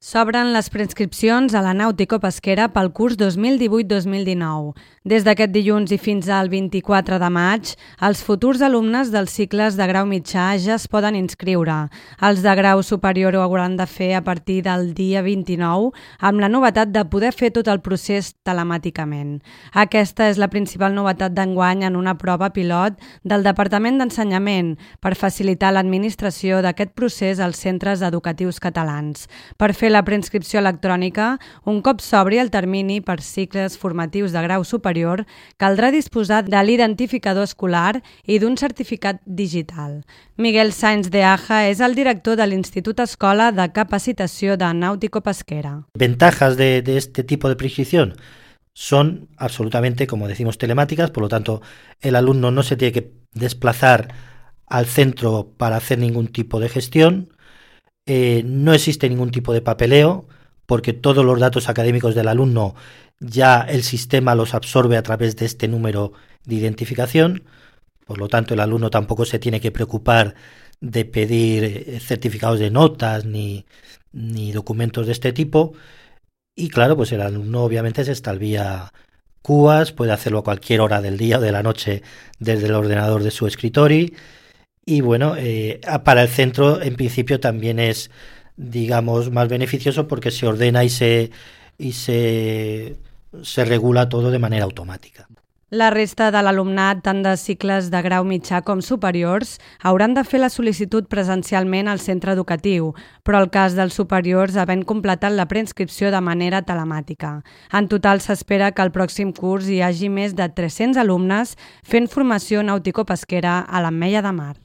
S'obren les preinscripcions a la nàutico-pesquera pel curs 2018-2019. Des d'aquest dilluns i fins al 24 de maig, els futurs alumnes dels cicles de grau mitjà ja es poden inscriure. Els de grau superior ho hauran de fer a partir del dia 29, amb la novetat de poder fer tot el procés telemàticament. Aquesta és la principal novetat d'enguany en una prova pilot del Departament d'Ensenyament per facilitar l'administració d'aquest procés als centres educatius catalans. Per fer la preinscripció electrònica, un cop s'obri el termini per cicles formatius de grau superior, caldrà disposar de l'identificador escolar i d'un certificat digital. Miguel Sainz de Aja és el director de l'Institut Escola de Capacitació de Náutico-Pesquera. Ventajas de este tipo de preinscripción son absolutamente, como decimos, telemáticas, por lo tanto, el alumno no se tiene que desplazar al centro para hacer ningún tipo de gestión. No existe ningún tipo de papeleo porque todos los datos académicos del alumno ya el sistema los absorbe a través de este número de identificación. Por lo tanto, el alumno tampoco se tiene que preocupar de pedir certificados de notas ni documentos de este tipo. Y claro, pues el alumno obviamente se extravía cubas, puede hacerlo a cualquier hora del día o de la noche desde el ordenador de su escritorio. Y bueno, para el centro en principio también es, digamos, más beneficioso porque se ordena y se regula todo de manera automática. La resta de l'alumnat, tant de cicles de grau mitjà com superiors, hauran de fer la sol·licitud presencialment al centre educatiu, però el cas dels superiors havent completat la preinscripció de manera telemàtica. En total s'espera que el pròxim curs hi hagi més de 300 alumnes fent formació nàutico-pesquera a l'Ametlla de Mar.